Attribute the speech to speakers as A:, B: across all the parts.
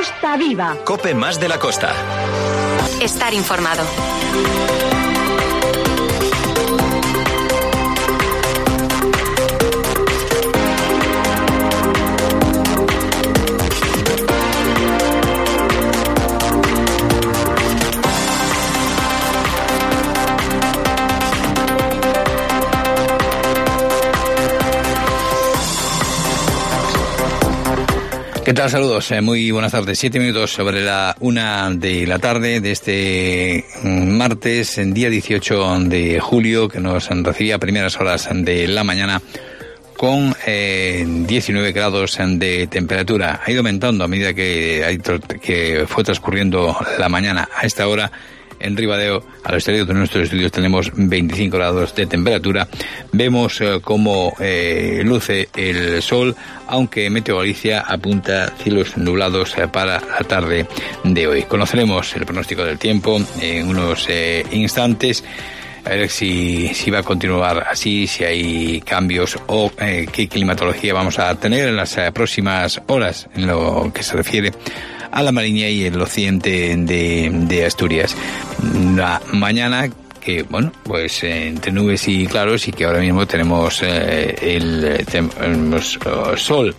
A: Costa Viva.
B: COPE más de la costa.
C: Estar informado.
D: ¿Qué tal? Saludos, muy buenas tardes. 7 minutos sobre la 1 de la tarde de este martes, en día 18 de julio, que nos recibía a primeras horas de la mañana con 19 grados de temperatura. Ha ido aumentando a medida que fue transcurriendo la mañana. A esta hora, en Ribadeo, al exterior de nuestros estudios, tenemos 25 grados de temperatura. Vemos cómo luce el sol, aunque Meteo Galicia apunta cielos nublados para la tarde de hoy. Conoceremos el pronóstico del tiempo en unos instantes. A ver si va a continuar así, si hay cambios o qué climatología vamos a tener en las próximas horas en lo que se refiere a la Mariña y el occidente de Asturias. La mañana que, bueno, pues entre nubes y claros, y que ahora mismo tenemos sol.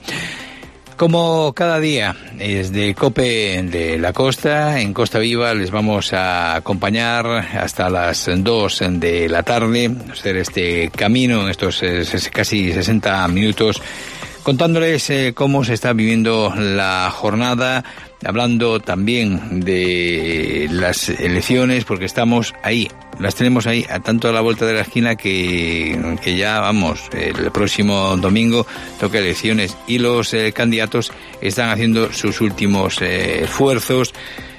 D: Como cada día, desde COPE de la costa, en Costa Viva, les vamos a acompañar hasta las 2 de la tarde, hacer este camino en estos casi 60 minutos, contándoles cómo se está viviendo la jornada, hablando también de las elecciones, porque estamos ahí, las tenemos ahí, a tanto a la vuelta de la esquina que ya vamos, el próximo domingo toca elecciones y los candidatos están haciendo sus últimos esfuerzos,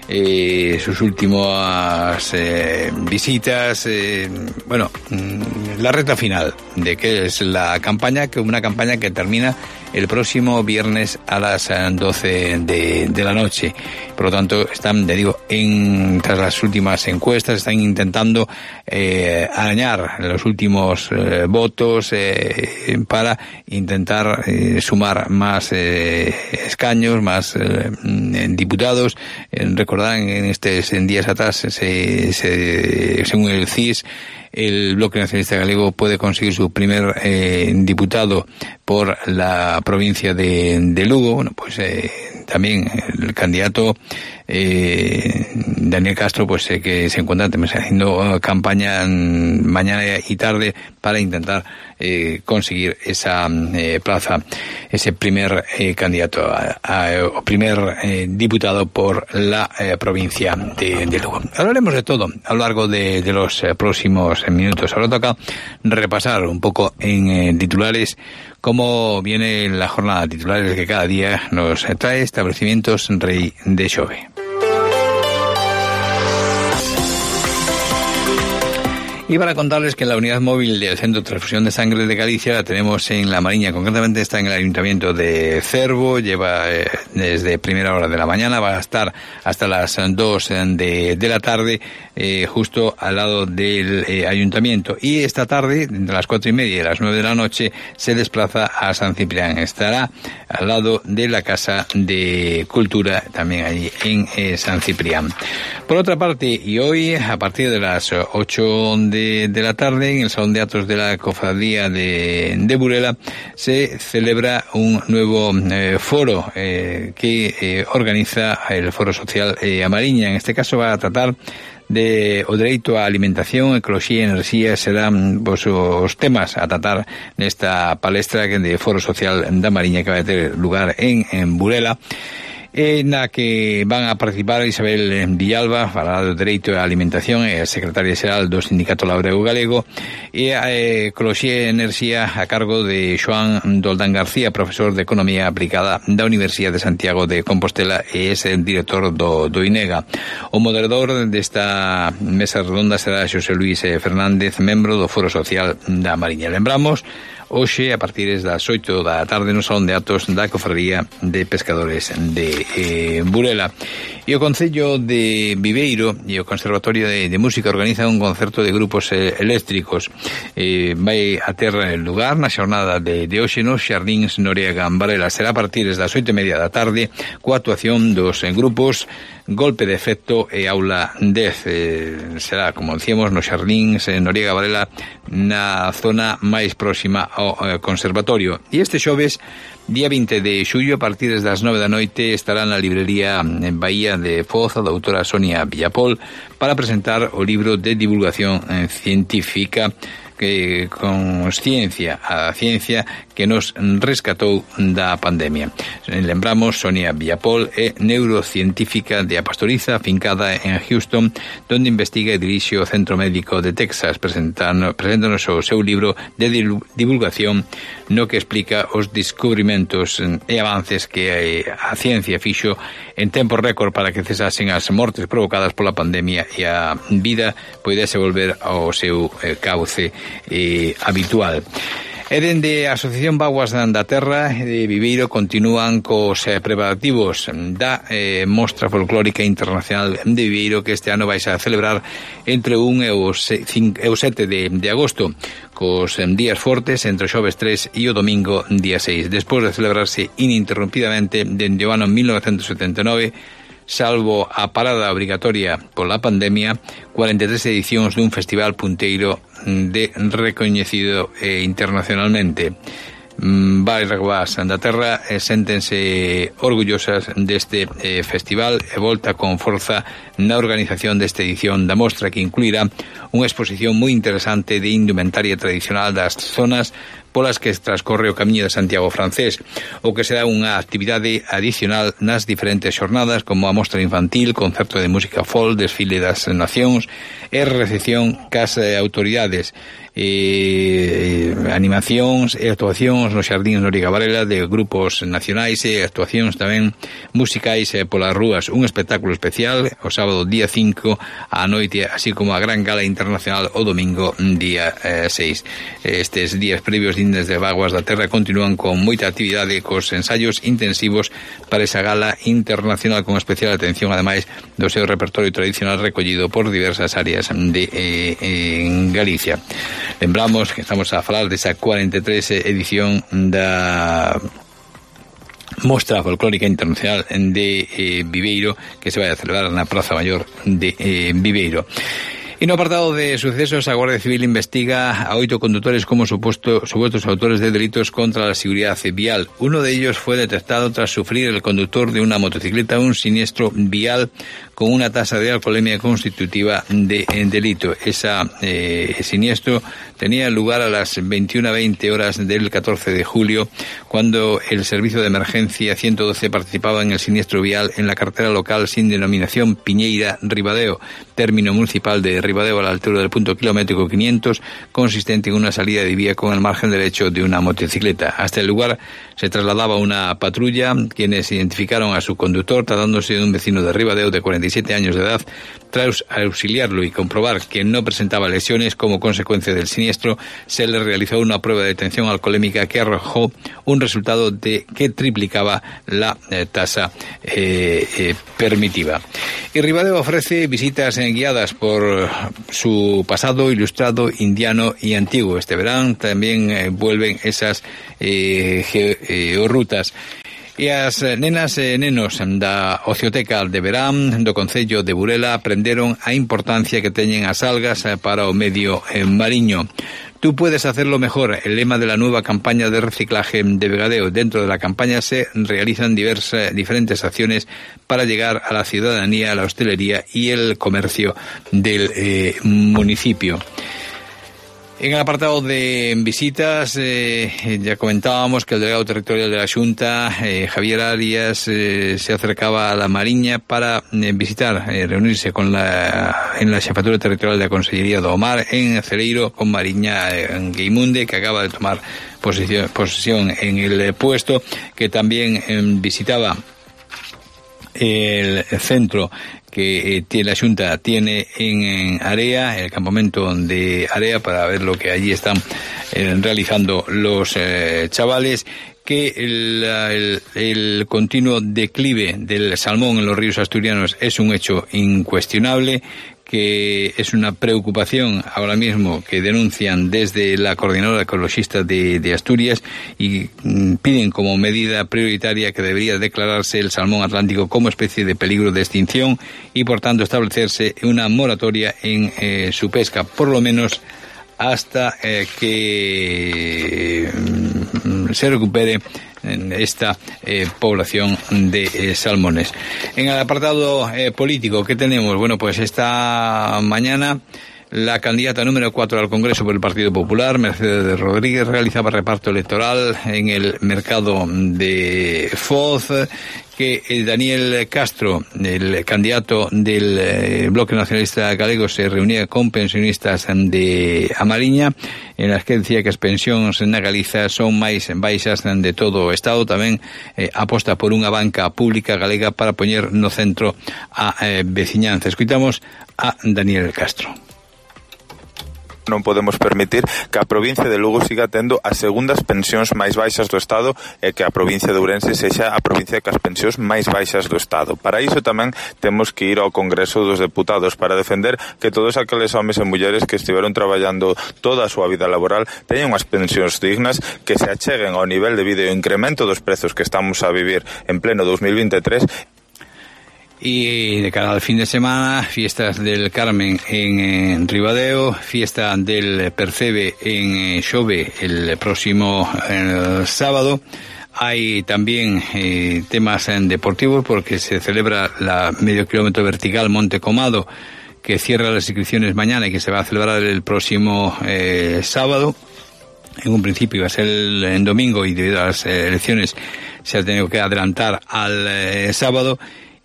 D: sus últimas visitas, la recta final de que es la campaña, que una campaña que termina el próximo viernes a las 12 de la noche. Por lo tanto, están, tras las últimas encuestas, están intentando arañar los últimos votos para intentar sumar más escaños, más diputados. Recordarán en días atrás, según el CIS, el Bloque Nacionalista Galego puede conseguir su primer diputado por la provincia de Lugo. Bueno, pues también el candidato Daniel Castro, pues que se encuentra haciendo campaña mañana y tarde para intentar conseguir esa plaza, ese primer candidato o primer diputado por la provincia de Lugo. Hablaremos de todo a lo largo de los próximos minutos. Ahora toca repasar un poco en titulares cómo viene la jornada, titulares que cada día nos trae Establecimientos Rei de Xove. Y para contarles que la unidad móvil del Centro de Transfusión de Sangre de Galicia la tenemos en La Mariña, concretamente está en el Ayuntamiento de Cervo, lleva desde primera hora de la mañana, va a estar hasta las 2 de la tarde, justo al lado del Ayuntamiento. Y esta tarde, entre las 4:30 y las 9 de la noche, se desplaza a San Ciprián. Estará al lado de la Casa de Cultura, también allí en San Ciprián. Por otra parte, y hoy, a partir de las 8 de la tarde, en el Salón de Actos de la Cofradía de Burela, se celebra un nuevo foro que organiza el Foro Social A Mariña. En este caso va a tratar o dereito á alimentación, ecoloxía e enerxía serán os temas a tratar nesta palestra de Foro Social da Mariña que vai ter lugar en Burela, na que van a participar Isabel Villalba, falará do dereito á alimentación, e a secretaria xeral do Sindicato Labrego Galego, e a ecoloxía e enerxía a cargo de Xoán Doldán García, profesor de Economía Aplicada da Universidade de Santiago de Compostela e é el director do INEGA. O moderador desta mesa redonda será Xosé Luis Fernández, membro do Foro Social da Mariña. Lembramos, hoxe, a partir das 8 da tarde, no Salón de Actos da Cofradía de Pescadores de Burela. E o Concello de Viveiro e o Conservatorio de Música organizan un concerto de grupos eléctricos. Vai a ter lugar na xornada de hoxe nos Xardíns Noriega Varela. Será a partir das 8:30 da tarde, coa actuación dos grupos Golpe de Efecto e Aula 10. Será, como decíamos, nos Xardíns Noriega Varela, na zona máis próxima ao conservatorio. E este xoves, día 20 de xullo, a partir das 9 da noite, estará na librería en Bahía de Foz a doutora Sonia Villapol para presentar o libro de divulgación científica con ciencia, a ciencia que nos rescatou da pandemia. Lembramos, Sonia Villapol é neurocientífica de Apastoriza, afincada en Houston, donde investiga e dirixe o Centro Médico de Texas, presentándonos o seu libro de divulgación no que explica os descubrimentos e avances que a ciencia fixo en tempo récord para que cesasen as mortes provocadas pola pandemia e a vida poidese volver ao seu cauce habitual. E dende a Asociación Vaguas da Terra de Viveiro continúan cos preparativos da Mostra Folclórica Internacional de Viveiro, que este ano vai a celebrar entre o 1 e o 7 de agosto, cos días fortes entre o xoves 3 e o domingo día 6, despois de celebrarse ininterrumpidamente dende o ano 1979, salvo a parada obrigatoria pola pandemia, 43 edicións dun festival punteiro de recoñecido internacionalmente. Vaguas da Terra séntense orgullosas deste festival e volta con forza na organización desta edición da mostra, que incluirá unha exposición moi interesante de indumentaria tradicional das zonas polas que transcorre o Camiño de Santiago francés, o que será unha actividade adicional nas diferentes xornadas, como a mostra infantil, concerto de música folk, desfile das nacións e recepción cas autoridades, animacións e actuacións nos Xardíns Noriega Varela de grupos nacionais e actuacións tamén musicais polas rúas, un espectáculo especial o sábado día 5 á noite, así como a gran gala internacional o domingo día 6. Estes días previos desde Vaguas da Terra continúan con moita actividade, cos ensaios intensivos para esa gala internacional, con especial atención ademais do seu repertorio tradicional recollido por diversas áreas en Galicia. Lembramos que estamos a falar desa 43 edición da Mostra Folclórica Internacional de Viveiro, que se vai a celebrar na Praza Maior de Viveiro. E no apartado de sucesos, a Guardia Civil investiga a 8 conductores como supuestos autores de delitos contra la seguridad vial. Uno de ellos fue detectado tras sufrir el conductor de una motocicleta un siniestro vial con una tasa de alcoholemia constitutiva de delito. Ese siniestro tenía lugar a las 21:20 horas del 14 de julio, cuando el servicio de emergencia 112 participaba en el siniestro vial en la carretera local sin denominación Piñeira-Ribadeo, término municipal de Ribadeo, a la altura del punto kilométrico 500, consistente en una salida de vía con el margen derecho de una motocicleta. Hasta el lugar se trasladaba una patrulla, quienes identificaron a su conductor, tratándose de un vecino de Ribadeo de 47 años de edad. Tras auxiliarlo y comprobar que no presentaba lesiones como consecuencia del siniestro, se le realizó una prueba de detención alcoholémica que arrojó un resultado que triplicaba la tasa permitida. Y Ribadeo ofrece visitas guiadas por su pasado ilustrado, indiano y antiguo. Este verano también vuelven esas georrutas. E as nenas e nenos da Ocioteca de Verán do Concello de Burela aprenderon a importancia que teñen as algas para o medio mariño. Tú puedes hacerlo mejor, el lema de la nueva campaña de reciclaje de Vegadeo. Dentro de la campaña se realizan diferentes acciones para llegar a la ciudadanía, a la hostelería y el comercio del municipio. En el apartado de visitas, ya comentábamos que el delegado territorial de la Xunta, Javier Arias, se acercaba a la Mariña para visitar, reunirse en la Xefatura Territorial de la Consellería do Mar en Celeiro, con Mariña Gueimunde, que acaba de tomar posesión en el puesto, que también visitaba el centro que la Xunta tiene en Area, el campamento de Area, para ver lo que allí están realizando los chavales, que el continuo declive del salmón en los ríos asturianos es un hecho incuestionable, que es una preocupación ahora mismo que denuncian desde la Coordinadora Ecologista de Asturias y piden como medida prioritaria que debería declararse el salmón atlántico como especie de peligro de extinción y por tanto establecerse una moratoria en su pesca, por lo menos hasta que se recupere esta población de salmones. En el apartado político, ¿qué tenemos? Bueno, pues esta mañana la candidata número 4 al Congreso por el Partido Popular, Mercedes Rodríguez, realizaba reparto electoral en el mercado de Foz, que Daniel Castro, el candidato del Bloque Nacionalista Galego, se reunía con pensionistas de Amariña, en las que decía que as pensións na Galiza son máis baixas de todo o Estado. Tamén aposta por unha banca pública galega para poñer no centro a veciñanza. Escuitamos a Daniel Castro.
A: Non podemos permitir que a provincia de Lugo siga tendo as segundas pensións máis baixas do Estado e que a provincia de Ourense sexa a provincia que as pensións máis baixas do Estado. Para iso tamén temos que ir ao Congreso dos Deputados para defender que todos aqueles homes e mulleres que estiveron traballando toda a súa vida laboral teñan unhas pensións dignas, que se acheguen ao nivel de vida e o incremento dos prezos que estamos a vivir en pleno 2023.
D: Y de cara al fin de semana, fiestas del Carmen en Ribadeo, fiesta del Percebe en Xove el próximo sábado. Hay también temas deportivos porque se celebra la medio kilómetro vertical Monte Comado, que cierra las inscripciones mañana y que se va a celebrar el próximo sábado. En un principio iba a ser el domingo y debido a las elecciones se ha tenido que adelantar al sábado.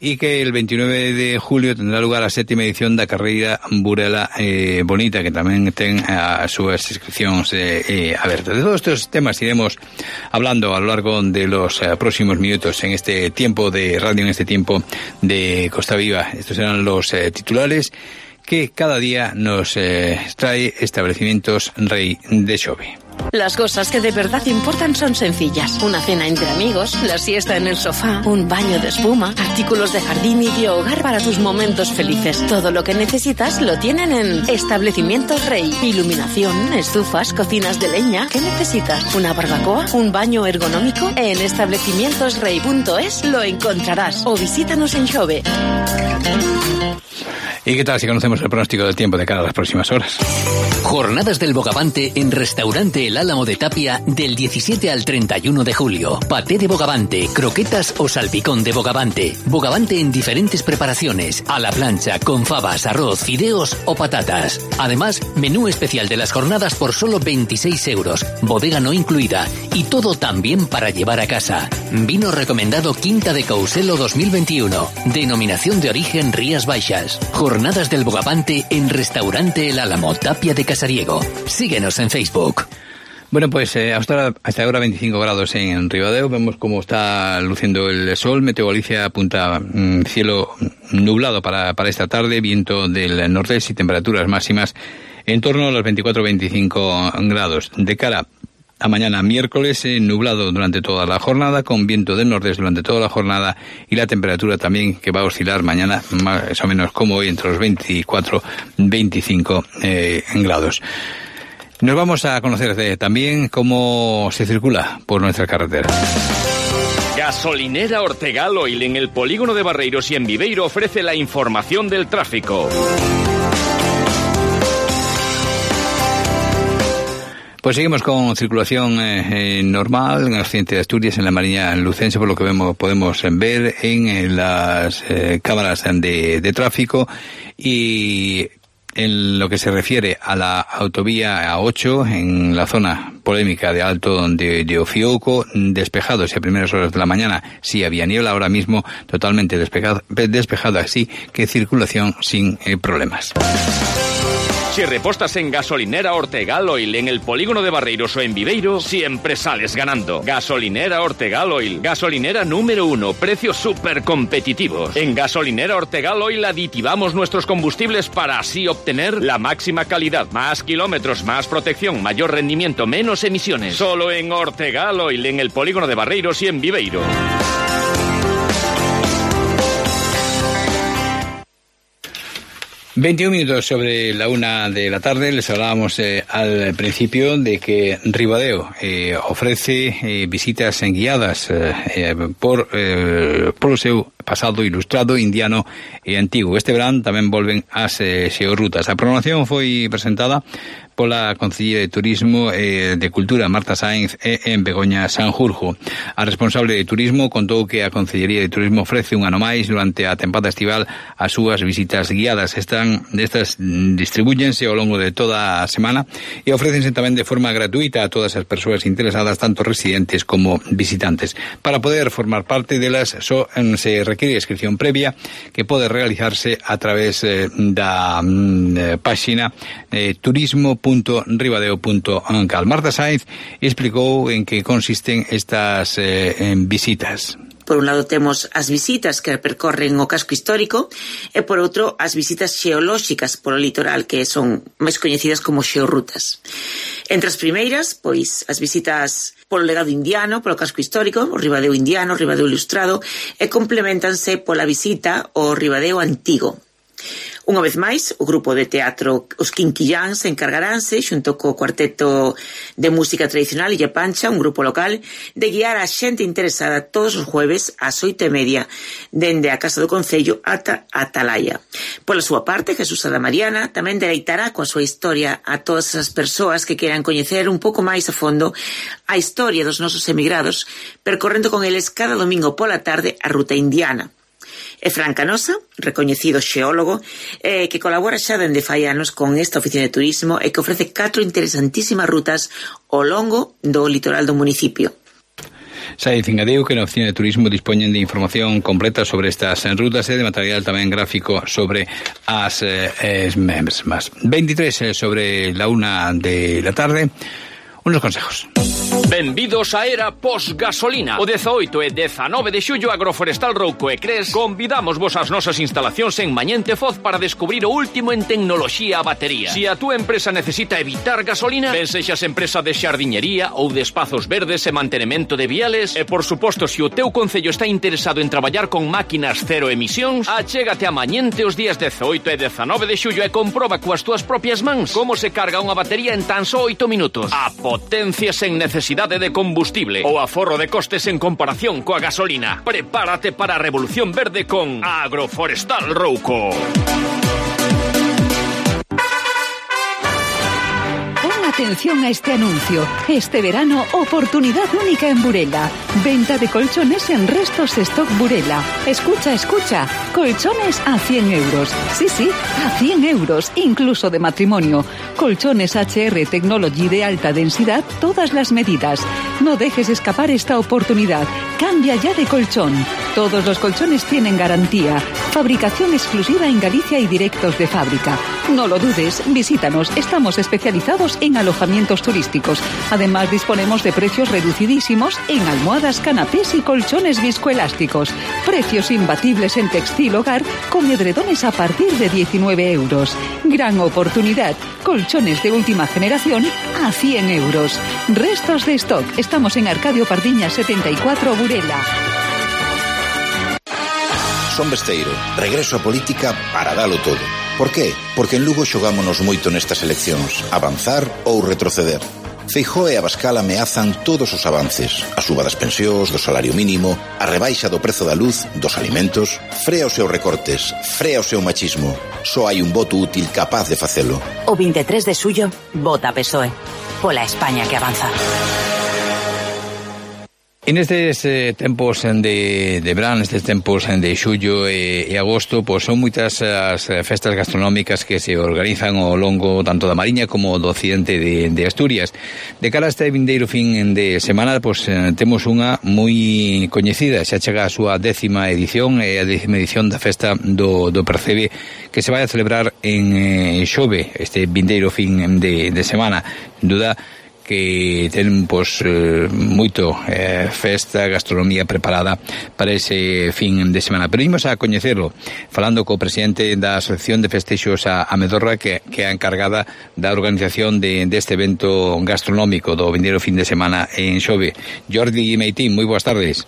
D: Y que el 29 de julio tendrá lugar a 7ª edición da carreira Burela Bonita, que tamén ten as súas inscripcións abertas. De todos estos temas iremos hablando a lo largo de los próximos minutos en este tiempo de radio, en este tiempo de Costa Viva. Estos serán los titulares que cada día nos trae Establecimientos Rei de Xove.
B: Las cosas que de verdad importan son sencillas. Una cena entre amigos, la siesta en el sofá, un baño de espuma, artículos de jardín y de hogar para tus momentos felices. Todo lo que necesitas lo tienen en Establecimientos Rei. Iluminación, estufas, cocinas de leña. ¿Qué necesitas? ¿Una barbacoa? ¿Un baño ergonómico? En establecimientosrei.es lo encontrarás. O visítanos en Xove.
D: ¿Y qué tal si conocemos el pronóstico del tiempo de cara a las próximas horas?
E: Jornadas del Bogavante en Restaurante El Álamo de Tapia del 17 al 31 de julio. Paté de bogavante, croquetas o salpicón de bogavante. Bogavante en diferentes preparaciones, a la plancha, con fabas, arroz, fideos o patatas. Además, menú especial de las jornadas por solo 26 euros, bodega no incluida y todo también para llevar a casa. Vino recomendado Quinta de Couselo 2021. Denominación de origen Rías Baixas. Jornadas del Bogavante en Restaurante El Álamo, Tapia de Casariego. Síguenos en Facebook.
D: Bueno, pues hasta ahora 25 grados en Ribadeo. Vemos cómo está luciendo el sol. Meteo Galicia apunta cielo nublado para esta tarde, viento del nordeste y temperaturas máximas en torno a los 24-25 grados. De cara a mañana miércoles, nublado durante toda la jornada, con viento del nordeste durante toda la jornada y la temperatura también que va a oscilar mañana más o menos como hoy entre los 24-25 grados. Nos vamos a conocer también cómo se circula por nuestra carretera.
F: Gasolinera Ortegal Oil en el polígono de Barreiros y en Viveiro ofrece la información del tráfico.
D: Pues seguimos con circulación normal en el occidente de Asturias, en la Mariña Lucense, por lo que podemos ver en las cámaras de tráfico. Y en lo que se refiere a la autovía A8, en la zona polémica de Alto de Ofiouco, despejado a primeras horas de la mañana, sí había niebla, ahora mismo totalmente despejado, así que circulación sin problemas.
F: Si repostas en Gasolinera Ortegal Oil en el polígono de Barreiros o en Viveiro, siempre sales ganando. Gasolinera Ortegal Oil, gasolinera número 1, precios súper competitivos. En Gasolinera Ortegal Oil aditivamos nuestros combustibles para así obtener la máxima calidad, más kilómetros, más protección, mayor rendimiento, menos emisiones. Solo en Ortegal Oil en el polígono de Barreiros y en Viveiro.
D: ...21 sobre la 1 de la tarde... les hablábamos al principio de que Ribadeo ofrece visitas guiadas por o seu pasado ilustrado, indiano e antigo. Este verán tamén volven as xeorrutas. A programación foi presentada pola Concellería de Turismo e de Cultura, Marta Sáenz, e en Begoña Sanjurjo. A responsable de Turismo contou que a Concellería de Turismo ofrece un ano máis durante a tempada estival as súas visitas guiadas. Estas distribúyense ao longo de toda a semana e ofrécense tamén de forma gratuita a todas as persoas interesadas, tanto residentes como visitantes. Para poder formar parte delas só se requiere inscripción previa que pode realizarse a través da páxina turismo.ribadeo.cal. Marta Sáenz explicou en que consisten estas visitas.
G: Por un lado temos as visitas que percorren o casco histórico e por outro as visitas xeolóxicas polo litoral, que son máis coñecidas como xeorrutas. Entre as primeiras, pois, as visitas polo legado indiano, polo casco histórico, o Ribadeo indiano, o Ribadeo ilustrado, e complementanse pola visita ao Ribadeo antigo. Unha vez máis, o grupo de teatro Os Quinquilláns encargaránse, xunto co cuarteto de música tradicional Illa Pancha, un grupo local, de guiar a xente interesada todos os jueves ás 8:30 dende a Casa do Concello ata a Atalaya. Pola súa parte, Jesús Adamariana tamén deleitará coa súa historia a todas as persoas que queran coñecer un pouco máis a fondo a historia dos nosos emigrados, percorrendo con eles cada domingo pola tarde a ruta indiana. E Fran Canosa, recoñecido xeólogo, que colabora xa dende fai anos con esta oficina de turismo e que ofrece 4 interesantísimas rutas ao longo do litoral do municipio.
D: Sáenz engadeu que na oficina de turismo dispoñen de información completa sobre estas rutas e de material tamén gráfico sobre as mesmas. 23 sobre la 1 de la tarde. Unos consejos.
F: Benvidos a era post-gasolina. O 18 e 19 de xullo Agroforestal Rouco e Cres convidamos vos ás nosas instalacións en Mañente Foz para descubrir o último en tecnoloxía a batería. Si a túa empresa necesita evitar gasolina, ben sexas empresa de xardiñería ou de espazos verdes e mantenemento de viales, e por suposto, se o teu concello está interesado en traballar con máquinas cero emisións, achégate a Mañente os días 18 e 19 de xullo e comproba coas túas propias mans como se carga unha batería en tan só 8 minutos. A potencia sen necesidade de combustible ou aforro de costes en comparación coa gasolina. Prepárate para a revolución verde con Agroforestal Rouco.
H: Atención a este anuncio. Este verano, oportunidad única en Burela. Venta de colchones en Restos Stock Burela. Escucha, escucha. Colchones a 100 euros. Sí, sí, a 100 euros, incluso de matrimonio. Colchones HR Technology de alta densidad, todas las medidas. No dejes escapar esta oportunidad. Cambia ya de colchón. Todos los colchones tienen garantía. Fabricación exclusiva en Galicia y directos de fábrica. No lo dudes, visítanos. Estamos especializados en alojamientos turísticos. Además, disponemos de precios reducidísimos en almohadas, canapés y colchones viscoelásticos. Precios imbatibles en textil hogar con edredones a partir de 19 euros. Gran oportunidad. Colchones de última generación a 100 euros. Restos de stock. Estamos en Arcadio Pardiña 74, Burela.
I: Son Besteiro, regreso a política para dalo todo. Por qué? Porque en Lugo xogámonos moito nestas eleccións, avanzar ou retroceder. Feijóo e Abascal ameazan todos os avances, a suba das pensións, do salario mínimo, a rebaixa do prezo da luz, dos alimentos. Frea os seus recortes, frea o seu machismo. Só hai un voto útil capaz de facelo.
J: O 23 de xullo, vota PSOE. Pola España que avanza.
D: En estes tempos de verán, nestes tempos de xullo e agosto, pois son moitas as festas gastronómicas que se organizan ao longo tanto da Mariña como do occidente de Asturias. De cara a este vindeiro fin de semana, pois temos unha moi coñecida, xa chega a súa 10ª edición, a 10ª edición da festa do Percebe, que se vai a celebrar en Xove, este vindeiro fin de semana. Sin duda que ten moito festa, gastronomía preparada para ese fin de semana. Pero imos a coñecerlo falando co presidente da Asociación de Festexos a Medorra, que é a encargada da organización deste evento gastronómico do vindeiro fin de semana en Xove. Jordi Meitín, moi boas tardes.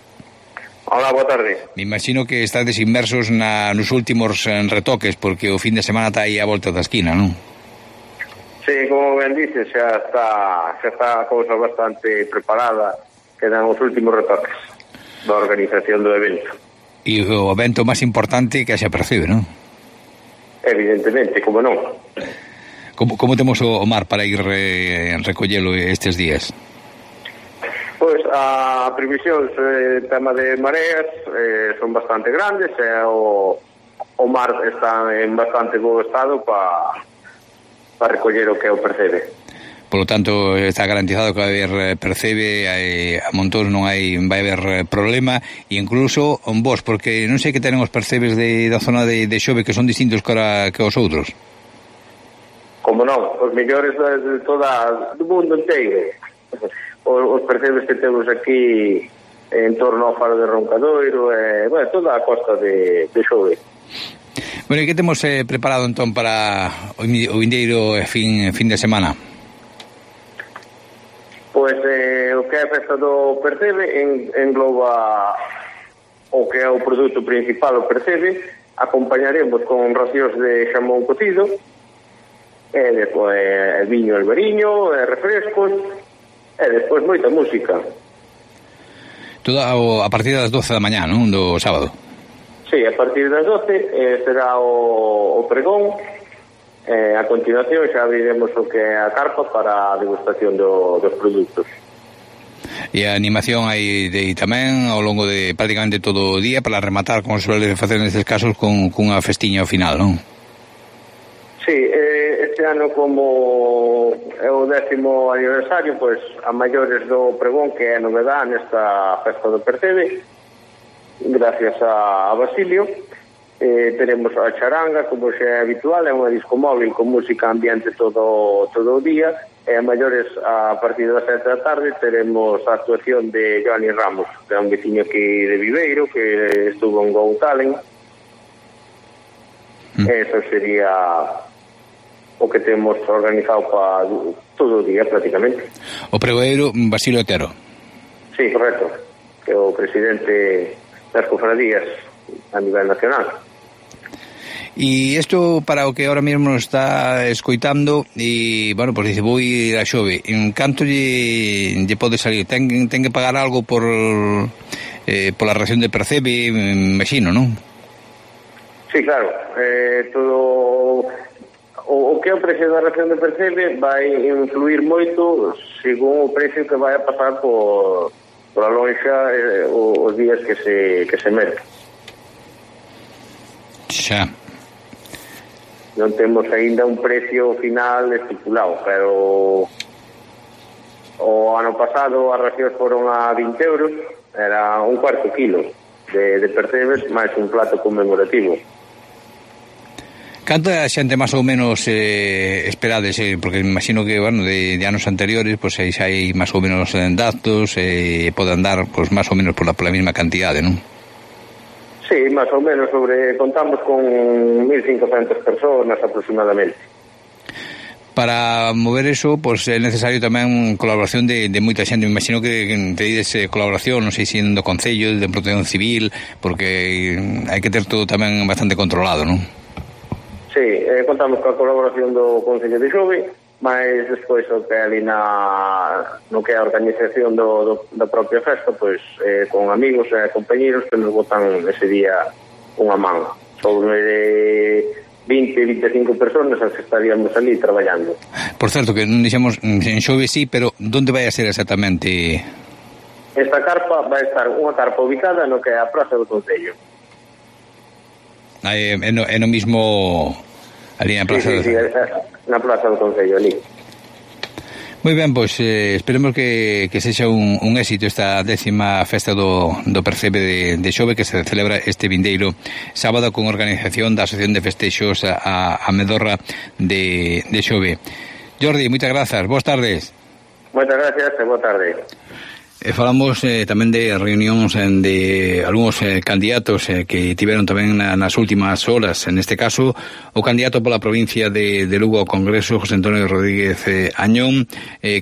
J: Hola, boa tarde.
D: Me imagino que estades inmersos nos últimos retoques, porque o fin de semana está aí a volta da esquina, non?
J: Sí, como ben dices, xa está a cousa bastante preparada, quedan os últimos retoques da organización do evento.
D: E o evento máis importante que xa Percebe, non?
J: Evidentemente, como non.
D: Como temos o mar para ir recollelo estes días?
J: Pois a previsión, tema de mareas, son bastante grandes, e o mar está en bastante bo estado para recoller o que o Percebe.
D: Por lo tanto, está garantizado que vai haber Percebe, a montón non vai haber problema, e incluso vos, porque non sei que tenen os percebes da zona de Xove que son distintos que os outros.
J: Como non, os mellores do mundo inteiro. Os percebes que temos aquí en torno ao faro de Roncadoiro, toda a costa de Xove.
D: Bueno, e que temos preparado entón para o vindeiro fin de semana?
J: Pois o que é a festa do Percebe engloba o que é o produto principal, o Percebe. Acompañaremos con racións de xamón cocido, e despois viño albariño, refrescos, e despois moita música.
D: Todo a partir das 12 da mañá, non? Do sábado.
J: Sí, a partir das 12 será o pregón. A continuación xa abriremos o que é a carpa para a degustación dos produtos.
D: E a animación hai tamén ao longo de prácticamente todo o día para rematar, como se suele facer nestes casos, con unha festiña ao final, non?
J: Sí, este ano como é o 10º aniversario, pois a maiores do pregón, que é a novedade nesta festa do Percebe, gracias a Basilio, teremos a charanga, como xa é habitual, é unha disco móvil con música ambiente todo o día, e a maiores a partir das 7 da tarde teremos a actuación de Johnny Ramos, que é un veciño aquí de Viveiro, que estuvo en Go Talent. Eso sería o que temos organizado para todo o día prácticamente.
D: O pregoeiro Basilio Otero.
J: Sí, correcto, que é o presidente das cofradías a nivel nacional.
D: E isto para o que ahora mesmo está escoitando, e, bueno, pues dice, vou ir a Xove, en canto lle pode salir? Ten que pagar algo por la ración de Percebe, me imagino, non?
J: Sí, claro, todo o que é o precio da ración de Percebe vai influir moito según o precio que vai a pasar por a lonxa os días que se merca.
D: Xa.
J: Non temos aínda un precio final estipulado, pero o ano pasado as racións foron a 20 euros, era un cuarto kilo de percebes máis un plato conmemorativo.
D: Canta xente máis ou menos esperades, porque me imagino que, bueno, de anos anteriores, pois aí xa hai máis ou menos datos, poden dar, pois, máis ou menos pola mesma cantidade, non?
J: Sí, máis ou menos, contamos con 1.500 personas aproximadamente.
D: Para mover eso, pois é necesario tamén colaboración de moita xente. Me imagino que pedides colaboración, non sei se do Concello, de Protección Civil, porque hai que ter todo tamén bastante controlado, non?
J: Sí, contamos coa colaboración do Concello de Xove, mas despois o que ali no que é a organización da propia festa, pois con amigos e compañeros que nos botan ese día unha man. Sobre 20-25 personas as que estaríamos ali traballando.
D: Por certo, que non dixemos en Xove sí, pero onde vai a ser exactamente?
J: Esta carpa vai estar unha carpa ubicada no que é a Praza do Concello.
D: É no mismo ali na Praza
J: na Praza do Concello, ali.
D: Moi ben, pois esperemos que sexa un éxito esta 10ª festa do Percebe de Xove, que se celebra este vindeiro sábado con organización da Asociación de Festexos a Medorra de Xove. Jordi, moitas grazas, boas tardes.
J: Moitas gracias e boa tarde.
D: Falamos tamén de reunións de algúns candidatos que tiveron tamén nas últimas horas. En este caso, o candidato pola provincia de Lugo ao Congreso, José Antonio Rodríguez Añón,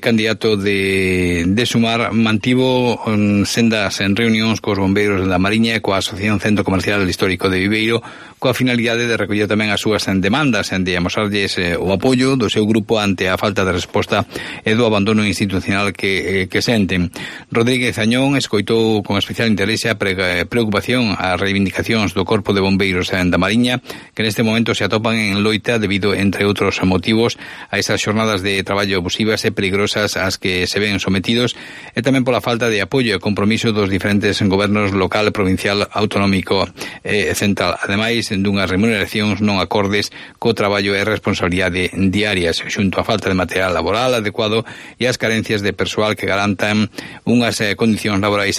D: candidato de Sumar, mantivo sendas en reunións cos bombeiros da Mariña e coa Asociación Centro Comercial Histórico de Viveiro, coa finalidade de recoller tamén as súas demandas e de amosarlles o apoio do seu grupo ante a falta de resposta e do abandono institucional que senten. Rodríguez Añón escoitou con especial interese a preocupación as reivindicacións do Corpo de Bombeiros da Mariña, que neste momento se atopan en loita debido, entre outros motivos, a esas xornadas de traballo abusivas e peligrosas ás que se ven sometidos, e tamén pola falta de apoio e compromiso dos diferentes gobernos local, provincial, autonómico e central, ademais dunhas remuneracións non acordes co traballo e responsabilidade diarias, xunto á falta de material laboral adecuado e as carencias de persoal que garantan unhas condicións laborais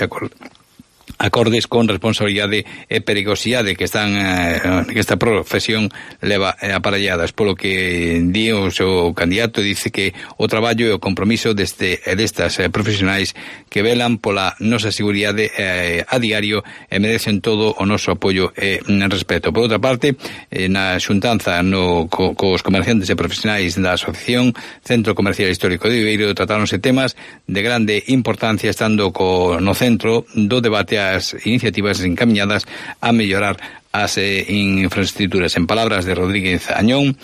D: acordes con responsabilidade e perigosidade que esta profesión leva aparelladas, polo que di o seu candidato, dice que o traballo e o compromiso destas profesionais que velan pola nosa seguridade a diario e merecen todo o noso apoio e respeto. Por outra parte, na xuntanza cos comerciantes e profesionais da Asociación Centro Comercial Histórico de Viveiro tratáronse temas de grande importancia, estando no centro do debate as iniciativas encaminadas a mellorar as infraestructuras. En palabras de Rodríguez Añón,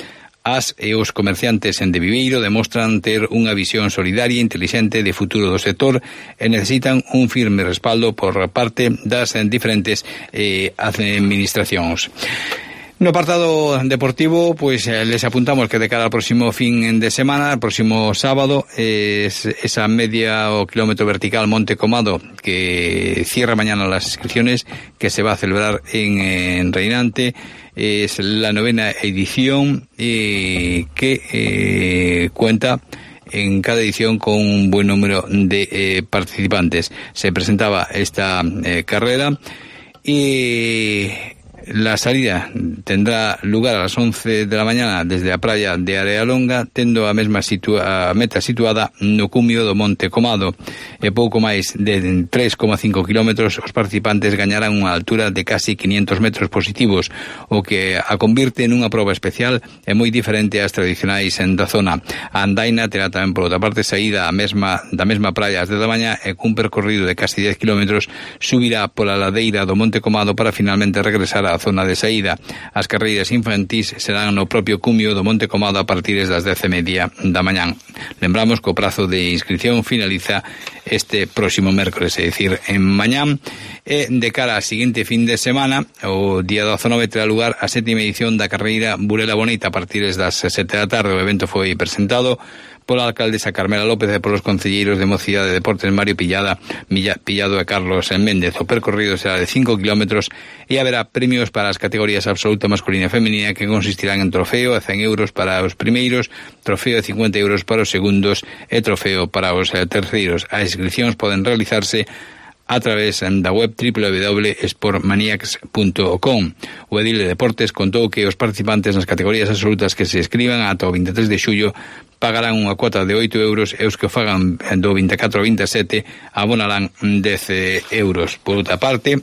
D: as e os comerciantes de Viveiro demostran ter unha visión solidaria e intelixente de futuro do sector e necesitan un firme respaldo por parte das diferentes administracións. No apartado deportivo, pues les apuntamos que de cara al próximo fin de semana, el próximo sábado, es esa media o kilómetro vertical Monte Comado, que cierra mañana las inscripciones, que se va a celebrar en Reinante. Es la 9ª edición que cuenta en cada edición con un buen número de participantes. Se presentaba esta carrera y la salida tendrá lugar a las 11 de la mañana desde a praia de Arealonga, tendo a mesma meta situada no cumio do Monte Comado. E pouco máis de 3,5 kilómetros, os participantes gañarán unha altura de casi 500 metros positivos, o que a convirte nunha proba especial e moi diferente ás tradicionais da zona. A andaina terá tamén, por outra parte, saída da mesma praia ás 10 da mañá e cun percorrido de casi 10 kilómetros subirá pola ladeira do Monte Comado para finalmente regresar á zona de saída. As carreiras infantís serán no propio cumio do Monte Comado a partir das 10:30 da mañán. Lembramos que o prazo de inscripción finaliza este próximo mércores, é dicir, en mañán. E de cara ao seguinte fin de semana, o día 19 terá lugar a 7ª edición da carreira Burela Bonita a partir das 7 da tarde. O evento foi presentado pola alcaldesa Carmela López e polos concelleiros de Mocidade de Deportes Mario Pillado e Carlos Méndez. O percorrido será de 5 kilómetros e haberá premios para as categorías absoluta masculina e femenina, que consistirán en trofeo a 100 euros para os primeiros, trofeo de 50 euros para os segundos e trofeo para os terceiros. As inscripcións poden realizarse a través da web www.sportmaniacs.com. O edil de Deportes contou que os participantes nas categorías absolutas que se escriban ata o 23 de xullo pagarán unha cuota de 8 euros e os que o fagan do 24 ao 27 abonarán 10 euros. Por outra parte,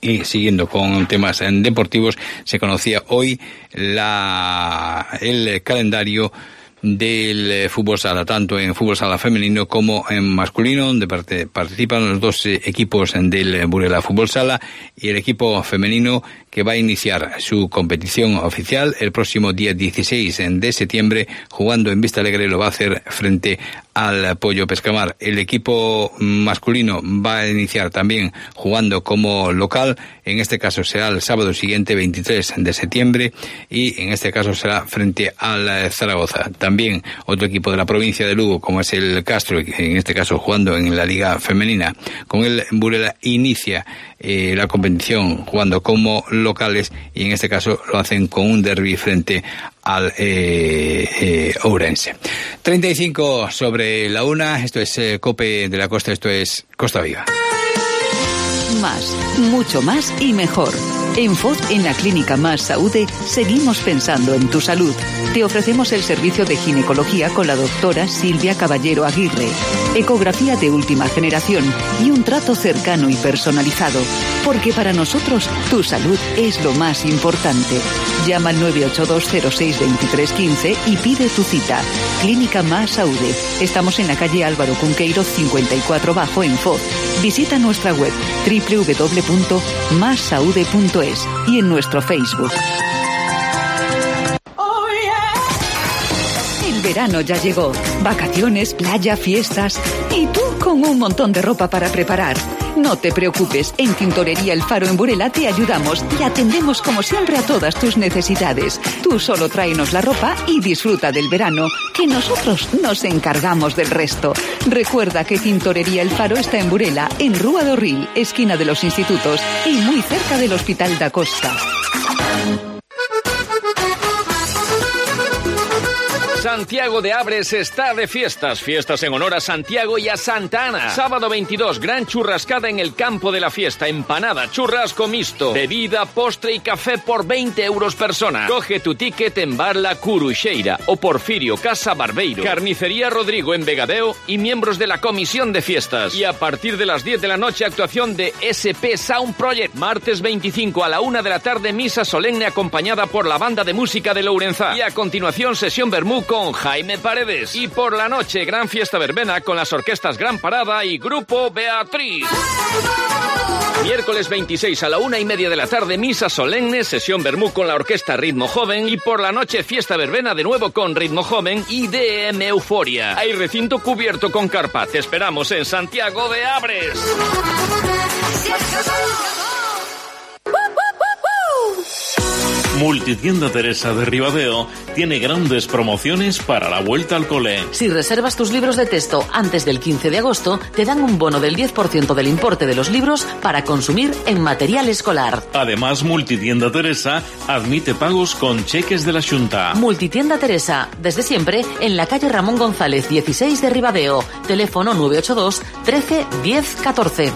D: y siguiendo con temas deportivos, se conocía hoy el calendario del fútbol sala, tanto en fútbol sala femenino como en masculino, donde participan los dos equipos del Burela Fútbol Sala y el equipo femenino, que va a iniciar su competición oficial el próximo día 16 de septiembre, jugando en Vista Alegre. Lo va a hacer frente al Pollo Pescamar. El equipo masculino va a iniciar también jugando como local. En este caso será el sábado siguiente, 23 de septiembre, y en este caso será frente al Zaragoza. También otro equipo de la provincia de Lugo, como es el Castro, en este caso jugando en la Liga Femenina. Con el Burela inicia la competición jugando como locales, y en este caso lo hacen con un derbi frente al Ourense. 35 sobre la 1, esto es COPE de la Costa, esto es Costa Viva.
H: Más, mucho más y mejor. En FOD, en la Clínica Más Saúde, seguimos pensando en tu salud. Te ofrecemos el servicio de ginecología con la doctora Silvia Caballero Aguirre, ecografía de última generación y un trato cercano y personalizado. Porque para nosotros, tu salud es lo más importante. Llama al 982062315 y pide tu cita. Clínica Más Saúde. Estamos en la calle Álvaro Cunqueiro 54 Bajo en FOD. Visita nuestra web www.massaude.es y en nuestro Facebook. El verano ya llegó. Vacaciones, playa, fiestas. Y tú con un montón de ropa para preparar. No te preocupes, en Tintorería El Faro en Burela te ayudamos y atendemos como siempre a todas tus necesidades. Tú solo tráenos la ropa y disfruta del verano, que nosotros nos encargamos del resto. Recuerda que Tintorería El Faro está en Burela, en Rúa do Ril, esquina de los Institutos y muy cerca del Hospital da Costa.
F: Santiago de Abres está de fiestas. Fiestas en honor a Santiago y a Santa Ana. Sábado 22, gran churrascada en el campo de la fiesta. Empanada, churrasco mixto, bebida, postre y café por 20 euros persona. Coge tu ticket en Bar La Curuxeira o Porfirio Casa Barbeiro. Carnicería Rodrigo en Vegadeo y miembros de la comisión de fiestas. Y a partir de las 10 de la noche, actuación de SP Sound Project. Martes 25 a la 1 de la tarde, misa solemne acompañada por la banda de música de Lourenzá. Y a continuación, sesión vermú con Jaime Paredes. Y por la noche, gran fiesta verbena con las orquestas Gran Parada y Grupo Beatriz. Miércoles 26 a la 1:30 de la tarde, misa solemne, sesión vermú con la orquesta Ritmo Joven. Y por la noche, fiesta verbena de nuevo con Ritmo Joven y DM Euforia. Hay recinto cubierto con carpa. Te esperamos en Santiago de Abres.
K: Multitienda Teresa de Ribadeo tiene grandes promociones para la vuelta al cole.
B: Si reservas tus libros de texto antes del 15 de agosto, te dan un bono del 10% del importe de los libros para consumir en material escolar.
K: Además, Multitienda Teresa admite pagos con cheques de la Xunta.
B: Multitienda Teresa, desde siempre, en la calle Ramón González 16 de Ribadeo. Teléfono 982 13 10 14.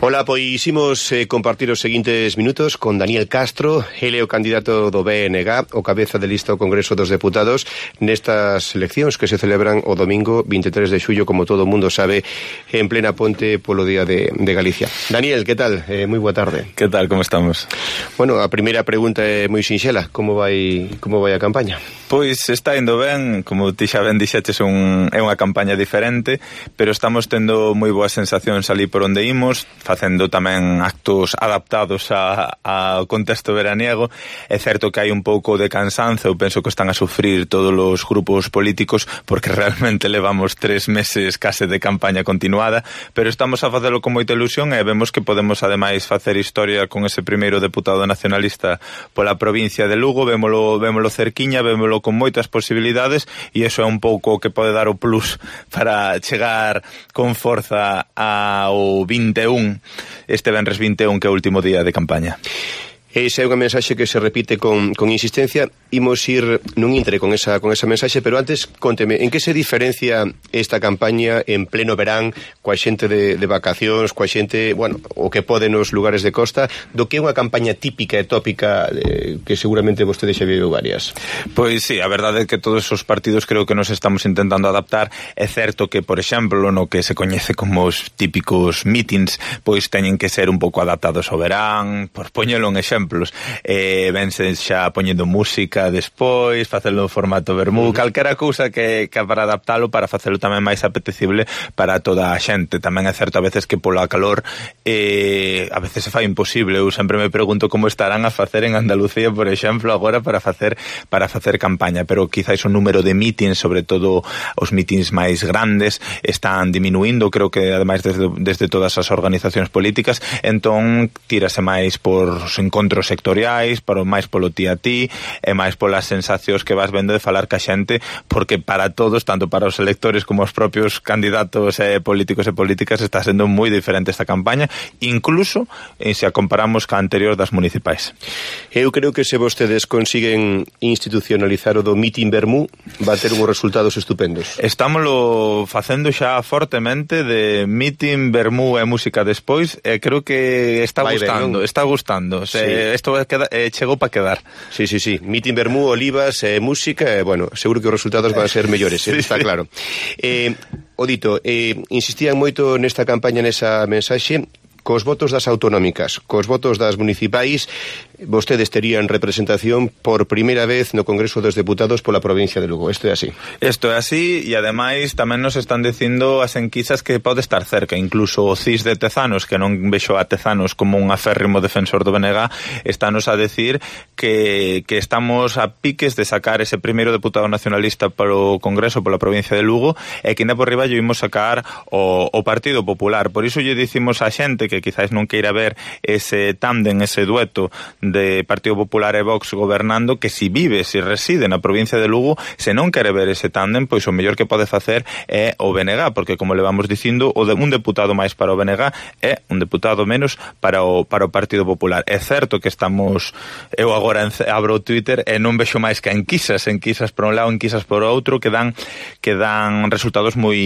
L: Ola, pois imos compartir os seguintes minutos con Daniel Castro, ele é o candidato do BNG, o cabeza de lista ao Congreso dos Deputados, nestas eleccións que se celebran o domingo 23 de xullo, como todo o mundo sabe, en plena ponte polo Día de Galicia. Daniel, que tal? Moi boa tarde.
A: Que tal, como estamos?
L: Bueno, a primeira pregunta é moi sinxela, como vai a campaña?
A: Pois está indo ben, como ti xa ben dixeches, é unha campaña diferente, pero estamos tendo moi boas sensacións ali por onde imos, facendo tamén actos adaptados ao contexto veraniego. É certo que hai un pouco de cansanzo, eu penso que están a sufrir todos os grupos políticos, porque realmente levamos 3 meses case de campaña continuada, pero estamos a facelo con moita ilusión e vemos que podemos ademais facer historia con ese primeiro deputado nacionalista pola provincia de Lugo. Vémolo cerquiña, vémolo con moitas posibilidades, e iso é un pouco o que pode dar o plus para chegar con forza ao 21, este venres 21, que é o último día de campaña.
L: Esa é unha mensaxe que se repite con insistencia. Imos ir nun intre con esa mensaxe, pero antes, conteme, en que se diferencia esta campaña en pleno verán, coa xente de vacacións, coa xente, bueno, o que pode nos lugares de costa, do que é unha campaña típica e tópica que seguramente vostede xa viu varias?
A: Pois sí, a verdade é que todos os partidos creo que nos estamos intentando adaptar. É certo que, por exemplo, no que se coñece como os típicos meetings, pois teñen que ser un pouco adaptados ao verán. Por poñelo un exemplo, exemplos. Vense xa poñendo música despois, facelo en formato vermú, calquera cousa que para adaptalo, para facelo tamén máis apetecible para toda a xente. Tamén é certo a veces que pola calor a veces se fai imposible. Eu sempre me pregunto como estarán a facer en Andalucía, por exemplo, agora para facer campaña, pero quizáis o número de mítins, sobre todo os mítins máis grandes, están diminuindo, creo que ademais desde todas as organizacións políticas, entón tírase máis por os encontros sectoriais, máis polo ti a ti, e máis polas sensacións que vas vendo de falar ca xente, porque para todos, tanto para os electores como os propios candidatos políticos e políticas, está sendo moi diferente esta campaña, incluso se a comparamos ca anterior das municipais.
L: Eu creo que se vostedes consiguen institucionalizar o do mitin vermú, va a ter uns resultados estupendos.
A: Estámoslo facendo xa fortemente de mitin vermú e música despois, e creo que está gustando, está gustando. Isto chegou para quedar.
L: Sí. Mitin vermú, olivas, música, bueno, seguro que os resultados van a ser mellores, está claro. Odito, insistían moito nesta campaña, nesa mensaxe, cos votos das autonómicas, cos votos das municipais, vostedes terían representación por primeira vez no Congreso dos Deputados pola provincia de Lugo. Isto é así.
A: Isto é así, e ademais tamén nos están dicindo as enquisas que pode estar cerca, incluso o CIS de Tezanos, que non vexo a Tezanos como un aférrimo defensor do BNG, estános a decir que estamos a piques de sacar ese primeiro deputado nacionalista para o Congreso pola provincia de Lugo, e que ainda por riba lle imos sacar o Partido Popular. Por iso lle dicimos a xente que quizás non queira ver ese tándem, ese dueto de Partido Popular e Vox gobernando, que si vive, si reside na provincia de Lugo, se non quere ver ese tándem, pois o mellor que pode facer é o BNG, porque como le vamos dicindo, un deputado máis para o BNG é un deputado menos para o Partido Popular. É certo que estamos, eu agora abro o Twitter e non vexo máis que enquisas por un lado, enquisas por outro, que dan resultados moi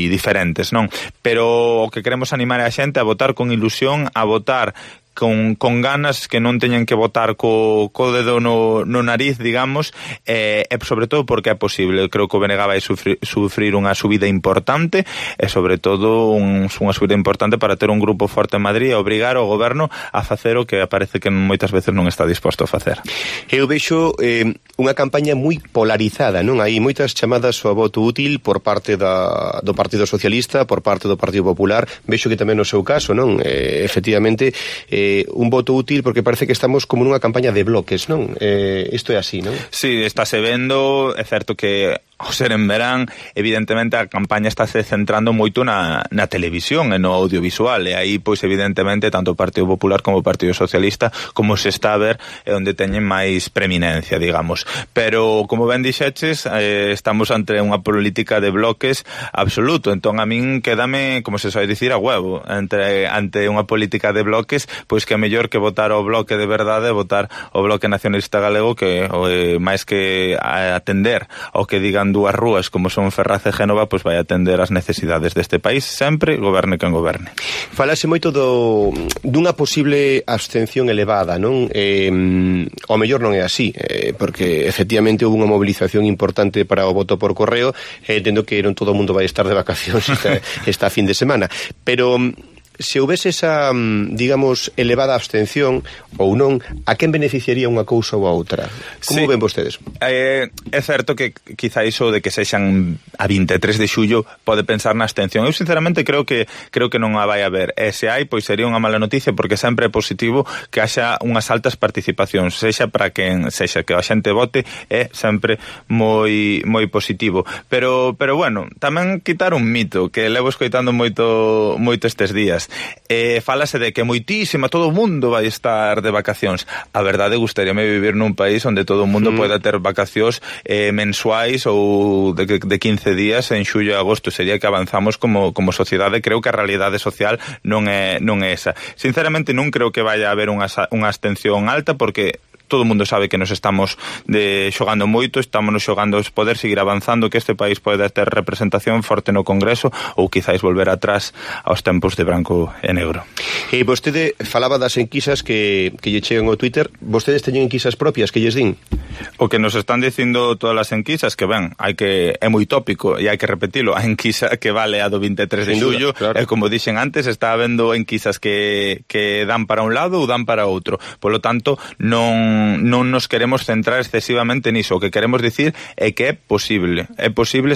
A: diferentes, non? Pero o que queremos animar a xente a votar con ilusión, a votar con ganas, que non teñen que votar co dedo no nariz, digamos, e sobre todo porque é posible. Eu creo que o BNG vai sufrir unha subida importante, e sobre todo unha subida importante para ter un grupo forte en Madrid e obrigar o goberno a facer o que parece que moitas veces non está disposto a facer.
L: Eu vexo unha campaña moi polarizada, non? Hai moitas chamadas ao voto útil por parte do Partido Socialista, por parte do Partido Popular. Vexo que tamén no seu caso, non? Efectivamente, un voto útil, porque parece que estamos como nunha campaña de bloques, non? Isto é así, non?
A: Sí, estáse vendo, é certo que ao ser en verán, evidentemente a campaña estáse centrando moito na televisión e no audiovisual, e aí, pois, evidentemente, tanto o Partido Popular como o Partido Socialista, como se está a ver, é onde teñen máis preeminencia, digamos. Pero, como ben dixeches, estamos ante unha política de bloques absoluto, entón a min quédame, como se sabe dicir, a huevo, ante unha política de bloques, pois que é mellor que votar o bloque de verdade, votar o Bloque Nacionalista Galego, que máis que atender ao que digan dúas rúas como son Ferraz e Génova, pois vai atender as necesidades deste país, sempre goberne quen goberne.
L: Falase moito dunha posible abstención elevada, non? O mellor non é así, porque efectivamente houve unha movilización importante para o voto por correo, entendo que non todo o mundo vai estar de vacacións esta fin de semana, pero se houvese esa, digamos, elevada abstención ou non, a quen beneficiaría unha cousa ou a outra? Como ven vostedes?
A: É certo que quizá iso de que sexan a 23 de xullo pode pensar na abstención. Eu sinceramente creo que non a vai haber. E se hai, pois sería unha mala noticia, porque sempre é positivo que haxa unhas altas participacións, sexa para quen sexa, que a xente vote é sempre moi positivo. Pero bueno, tamén quitar un mito que levo escoitando moito estes días. Fálase de que moitísima, todo o mundo vai estar de vacacións. A verdade, gustaríame vivir nun país onde todo o mundo poida ter vacacións mensuais ou de 15 días en xullo e agosto. Sería que avanzamos como sociedade. Creo que a realidade social non é esa. Sinceramente non creo que vaya a haber unha abstención alta, porque todo o mundo sabe que nos estamos xogando moito, estamos xogando poder seguir avanzando, que este país pode ter representación forte no Congreso ou quizáis volver atrás aos tempos de branco e negro.
L: E vostede falaba das enquisas que lle chegan ao Twitter. Vostedes teñen enquisas propias que lles din?
A: O que nos están dicindo todas as enquisas, que ben, é moi tópico e hai que repetilo, a enquisa que vale a do 23 de xullo, claro. E como dixen antes, está habendo enquisas que dan para un lado ou dan para outro. Polo tanto, non nos queremos centrar excesivamente niso. O que queremos dicir é que é posible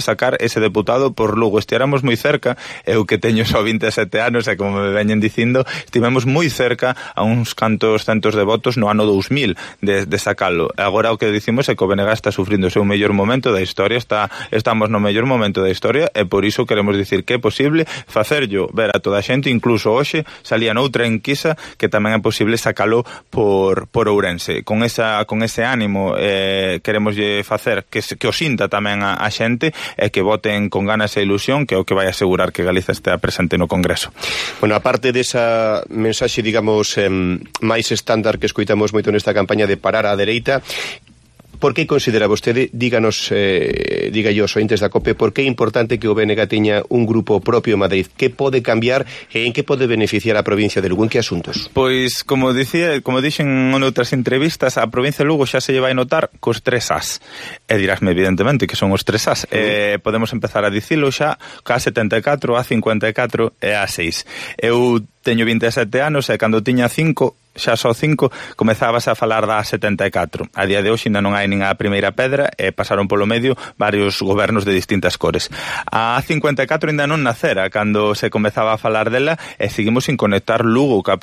A: sacar ese deputado por Lugo. Estiáramos moi cerca, eu que teño só 27 anos e como me veñen dicindo, estivemos moi cerca a uns cantos centos de votos no ano 2000 de sacalo. Agora o que dicimos é que o BNG está sufrindo o seu mellor momento da historia, estamos no mellor momento da historia e por iso queremos dicir que é posible facerllo ver a toda a xente, incluso hoxe salía noutra enquisa que tamén é posible sacalo por Ourense. Con ese ánimo queremos facer que o sinta tamén a xente e que voten con ganas e ilusión, que é o que vai asegurar que Galiza estea presente no Congreso.
L: Bueno, aparte desa mensaxe, digamos, máis estándar que escoitamos moito nesta campaña de parar á dereita, por que considera vostede, díganos, diga yo, ointes da COPE, por que é importante que o BNG teña un grupo propio en Madrid? Que pode cambiar e en que pode beneficiar a provincia de Lugo? En que asuntos?
A: Pois, como dixen noutras entrevistas, a provincia de Lugo xa se lle vai notar cos 3 As. E dirásme, evidentemente, que son os 3 As. Podemos empezar a dicilo xa ca 74, a 54 e a 6. Eu teño 27 anos e cando tiña 5, xa só 5, comezabas a falar da 74. A día de hoxe ainda non hai nin a primeira pedra e pasaron polo medio varios gobernos de distintas cores. A 54 ainda non nacera cando se comezaba a falar dela e seguimos sin conectar Lugo ca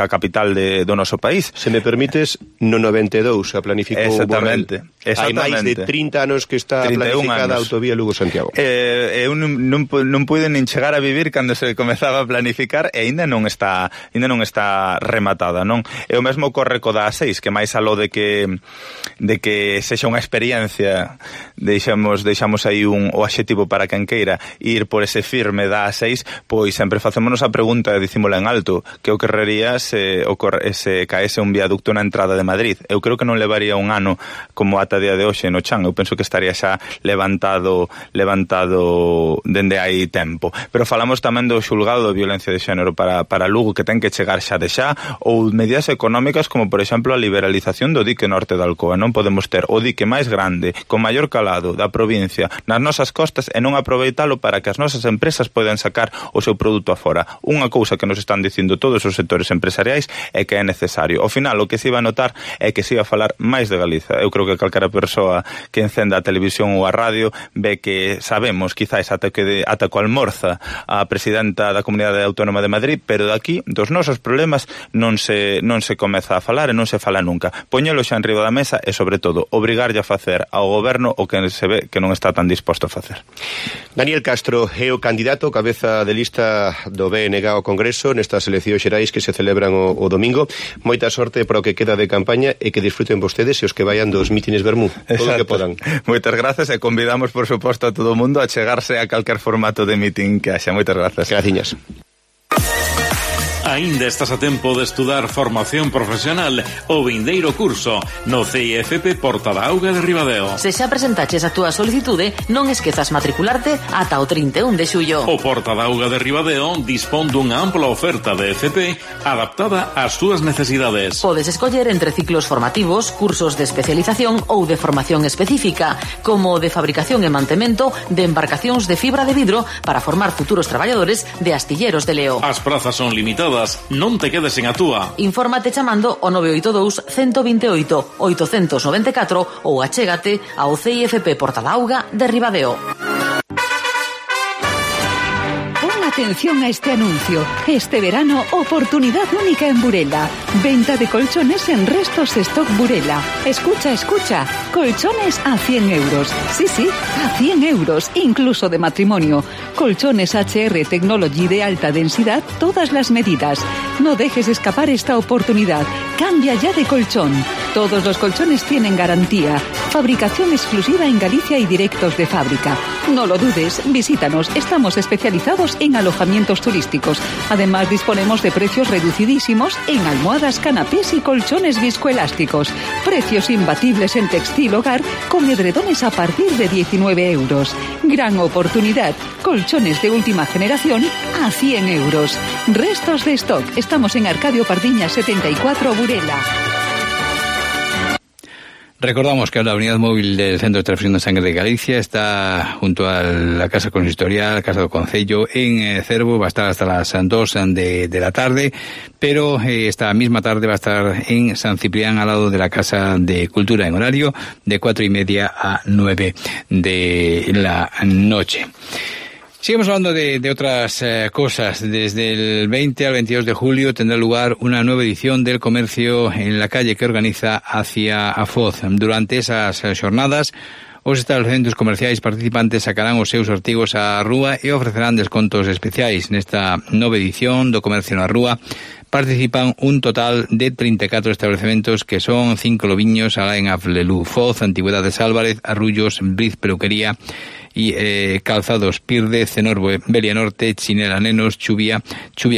A: capital do noso país.
L: Se me permites, no 92 a planificou
A: Exactamente.
L: Hai máis de 30 anos que está planificada a autovía Lugo-Santiago.
A: Eu non pude nin chegar a vivir cando se comezaba a planificar e ainda non está rematada, non? E o mesmo ocorre co da A6, que máis aló de que sexa unha experiencia, deixamos aí o adxetivo para quen queira ir por ese firme da A6, pois sempre facémonos a pregunta e dicímola en alto, que ocorrería se caese un viaducto na entrada de Madrid. Eu creo que non levaría un ano como ata día de hoxe no chan, eu penso que estaría xa levantado dende hai tempo. Pero falamos tamén do xulgado de violencia de xénero para Lugo, que ten que chegar xa de xa, ou medidas económicas como, por exemplo, a liberalización do dique norte da Alcoa. Non podemos ter o dique máis grande, con maior calado da provincia nas nosas costas e non aproveitalo para que as nosas empresas podan sacar o seu produto afora. Unha cousa que nos están dicindo todos os sectores empresariais é que é necesario. Ao final, o que se iba a notar é que se iba a falar máis de Galiza. Eu creo que calquera persoa que encenda a televisión ou a radio ve que sabemos, quizáis ata co almorza a presidenta da Comunidade Autónoma de Madrid, pero daqui dos nosos problemas non se comeza a falar e non se fala nunca. Poñelo xa en riba da mesa e, sobre todo, obrigarlle a facer ao goberno o que se ve que non está tan disposto a facer.
L: Daniel Castro é o candidato cabeza de lista do BNG ao Congreso nestas eleccións xerais que se celebran o domingo. Moita sorte para o que queda de campaña e que disfruten vostedes e os que vayan dos mítines Bermú, todo o que podan.
A: Moitas grazas e convidamos, por suposto, a todo o mundo a chegarse a calquer formato de mítin que haxa. Moitas grazas.
L: Graciñas.
K: Aínda estás a tempo de estudar formación profesional o vindeiro curso no CIFP Porta da Auga de Ribadeo.
B: Se xa presentaches a túa solicitude, non esquezas matricularte ata o 31 de xullo.
K: O Porta da Auga de Ribadeo dispón dunha ampla oferta de FP adaptada ás túas necesidades.
B: Podes escoller entre ciclos formativos, cursos de especialización ou de formación específica, como de fabricación e mantemento de embarcacións de fibra de vidro para formar futuros traballadores de astilleros de Leo.
K: As prazas son limitadas. Non te quedes en a túa.
B: Infórmate chamando o 982 128 894 ou achégate ao CIFP Porta da Auga de Ribadeo.
H: Atención a este anuncio. Este verano, oportunidad única en Burela. Venta de colchones en Restos Stock Burela. Escucha. Colchones a 100 euros. Sí, a 100 euros, incluso de matrimonio. Colchones HR Technology de alta densidad, todas las medidas. No dejes escapar esta oportunidad. Cambia ya de colchón. Todos los colchones tienen garantía, fabricación exclusiva en Galicia y directos de fábrica. No lo dudes, visítanos, estamos especializados en alojamientos turísticos. Además disponemos de precios reducidísimos en almohadas, canapés y colchones viscoelásticos. Precios imbatibles en textil hogar con edredones a partir de 19 euros. Gran oportunidad, colchones de última generación a 100 euros. Restos de stock, estamos en Arcadio Pardiña 74 Burela.
D: Recordamos que la unidad móvil del Centro de Transfusión de Sangre de Galicia está junto a la Casa Consistorial, Casa do Concello, en Cervo. Va a estar hasta las 2 de la tarde, pero esta misma tarde va a estar en San Ciprián, al lado de la Casa de Cultura, en horario de 4:30 a 9 de la noche. Seguimos hablando de otras cosas. Desde el 20 al 22 de julio tendrá lugar una nueva edición del comercio en la calle que organiza Hacia a Foz. Durante esas jornadas, os estabelecementos comerciais participantes sacarán os seus artigos á rúa e ofrecerán descontos especiais. Nesta nova edición do comercio na rúa participan un total de 34 estabelecementos que son 5 Lobiños, Alain Aflelú, Foz, Antigüedades Álvarez, Arrullos, Briz Peluquería y Calzados Pirde, Cenorbo, Belia Norte, Chinela Nenos, Chubia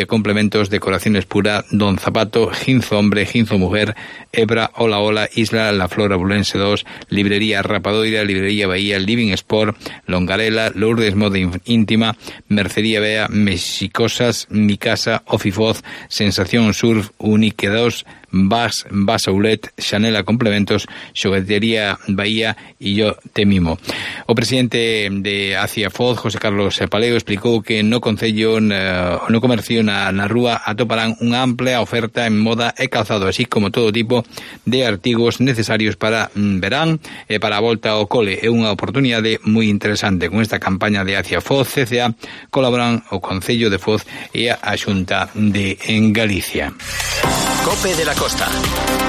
D: Complementos, Decoraciones Pura, Don Zapato, Ginzo Hombre, Ginzo Mujer, Ebra, Hola Hola, Isla, La Flora Bulense 2, Librería Rapadoira, Librería Bahía, Living Sport, Longarela, Lourdes Moda Íntima, Mercería Bea, Mexicosas, Mi Casa, Ofifoz, Sensación Surf, Unique 2, Vas Aulet, Chanela Complementos, Xoguetería Bahía e Yo Te Mimo. O presidente de Hacia Foz, José Carlos Paleo, explicou que no concello, no comercio na rúa atoparán unha amplia oferta en moda e calzado, así como todo tipo de artigos necesarios para verán e para a volta ao cole. É unha oportunidade moi interesante. Con esta campaña de Hacia Foz CCA colaboran o Concello de Foz e a Xunta de Galicia.
E: Cope de la Costa.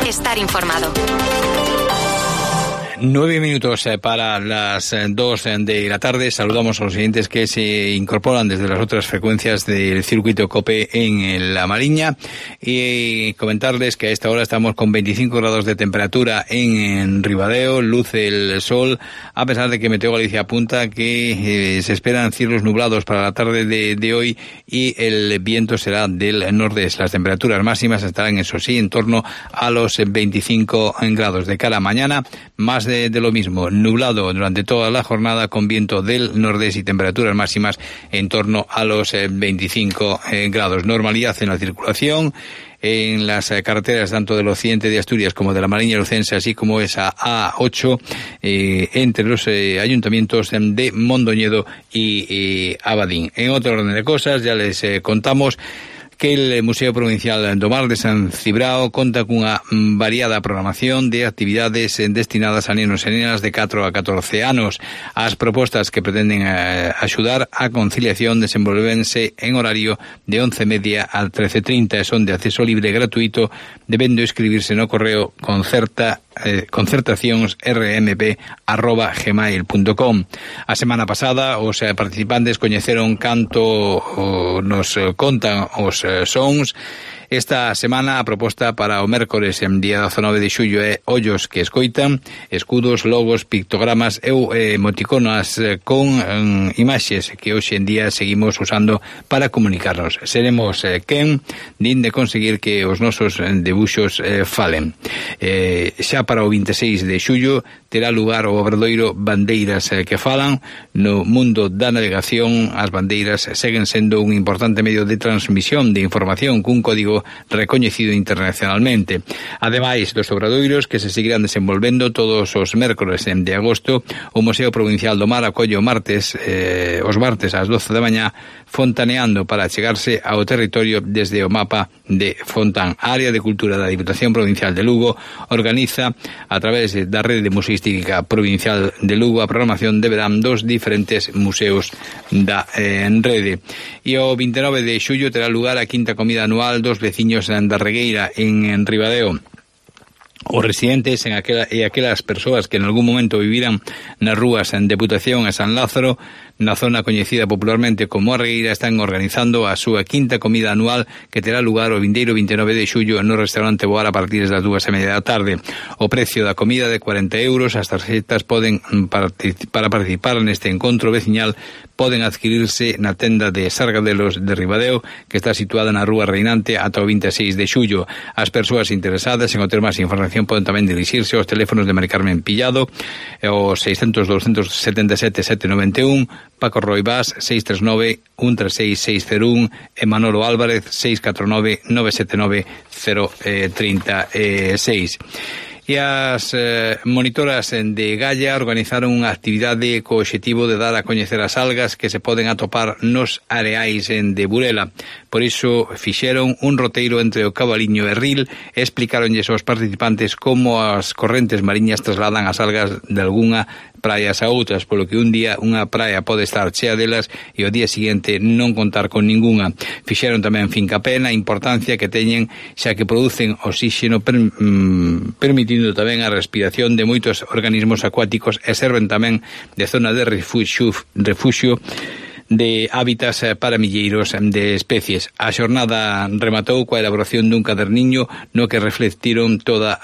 C: Estar informado.
D: 9 minutos para las 2 de la tarde. Saludamos a los siguientes que se incorporan desde las otras frecuencias del circuito COPE en La Mariña, y comentarles que a esta hora estamos con 25 grados de temperatura en Ribadeo, luce el sol, a pesar de que Meteo Galicia apunta que se esperan cielos nublados para la tarde de hoy y el viento será del nordeste. Las temperaturas máximas estarán, eso sí, en torno a los 25 grados. De cara a mañana, más de lo mismo, nublado durante toda la jornada con viento del nordeste y temperaturas máximas en torno a los 25 grados. Normalidad en la circulación en las carreteras tanto del occidente de Asturias como de la Mariña Lucense, así como esa A8 entre los ayuntamientos de Mondoñedo y Abadín. En otro orden de cosas, ya les contamos que el Museo Provincial do Mar de San Cibrao conta cunha variada programación de actividades destinadas a nenos e nenas de 4 a 14 anos. As propostas que pretenden axudar á conciliación desenvolvense en horario de 11:30 a 13:30 e son de acceso libre e gratuito, debendo escribirse no correo concertacións.rmp@gmail.com. A semana pasada os participantes coñeceron canto nos contan os sons. Esta semana a proposta para o mércores en día 19 de xullo é ollos que escoitan, escudos, logos, pictogramas e emoticonas con imaxes que hoxe en día seguimos usando para comunicarnos. Seremos quen din de conseguir que os nosos debuxos falen. Xa para o 26 de xullo terá lugar o obradoiro Bandeiras que falan. No mundo da navegación, as bandeiras seguen sendo un importante medio de transmisión de información cun código recoñecido internacionalmente. Ademais dos obradoiros que se seguirán desenvolvendo todos os mércores de agosto, o Museo Provincial do Mar acolle os martes ás 12 da mañá fontaneando para chegarse ao territorio desde o mapa de Fontán. A área de cultura da Diputación Provincial de Lugo organiza a través da Rede Museística Provincial de Lugo a programación de verán dos diferentes museos da rede. E o 29 de xullo terá lugar a quinta comida anual dos veciños da Regueira en Ribadeo. os residentes e aquelas persoas que en algún momento viviran nas rúas en Deputación e San Lázaro, na zona coñecida popularmente como a Regueira, están organizando a súa quinta comida anual que terá lugar o vindeiro 29 de xullo no restaurante Boar a partir das 2:30 da tarde. O precio da comida de 40 euros, as tarxetas para participar neste encontro veciñal poden adquirirse na tenda de Sargadelos de Ribadeo, que está situada na Rúa Reinante ata o 26 de xullo. As persoas interesadas en obter máis información poden tamén dirixirse aos teléfonos de Mari Carmen Pillado, o 600 277 791, Paco Roibás 639 136 601 e Manolo Álvarez 649 979 036. E as monitoras de Galla organizaron unha actividade co obxectivo de dar a coñecer as algas que se poden atopar nos areais de Burela. Por iso fixeron un roteiro entre o Cabaliño e Ril e explicaronlles aos participantes como as correntes mariñas trasladan as algas de algunha praias a outras, polo que un día unha praia pode estar chea delas e o día seguinte non contar con ningunha. Fixeron tamén fincapé na importancia que teñen, xa que producen oxígeno permitindo tamén a respiración de moitos organismos acuáticos e serven tamén de zona de refuxio de hábitats para milleiros de especies. A xornada rematou coa elaboración dun caderniño no que reflectiron toda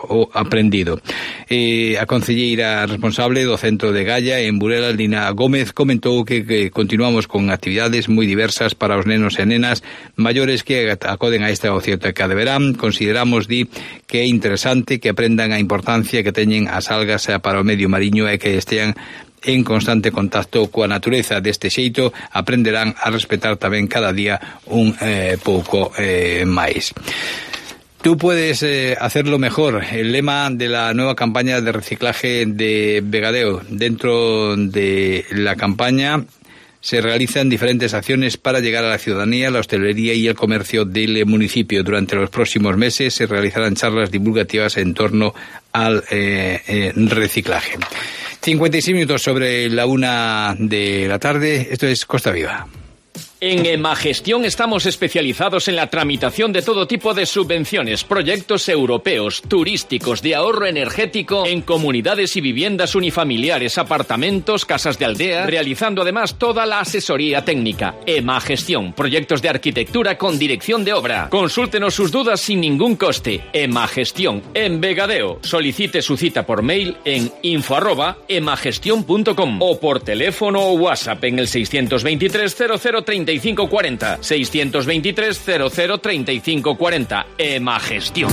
D: o aprendido. A concelleira responsable do centro de Galla en Burela, Lina Gómez, comentou que continuamos con actividades moi diversas para os nenos e nenas maiores que acoden a esta ocioteca de verán. Consideramos, que é interesante que aprendan a importancia que teñen as algas para o medio mariño e que estean en constante contacto coa natureza. Deste xeito aprenderán a respetar tamén cada día un pouco máis. Tú puedes hacerlo mejor. El lema de la nueva campaña de reciclaje de Vegadeo. Dentro de la campaña se realizan diferentes acciones para llegar a la ciudadanía, la hostelería y el comercio del municipio. Durante los próximos meses se realizarán charlas divulgativas en torno al reciclaje. 56 minutos sobre la 1 de la tarde. Esto es Costa Viva.
F: En Emagestión estamos especializados en la tramitación de todo tipo de subvenciones, proyectos europeos, turísticos, de ahorro energético, en comunidades y viviendas unifamiliares, apartamentos, casas de aldea, realizando además toda la asesoría técnica. Emagestión, proyectos de arquitectura con dirección de obra. Consúltenos sus dudas sin ningún coste. Emagestión, en Vegadeo. Solicite su cita por mail en info@emagestion.com o por teléfono o WhatsApp en el 623 003540. 623 003540. Emagestión.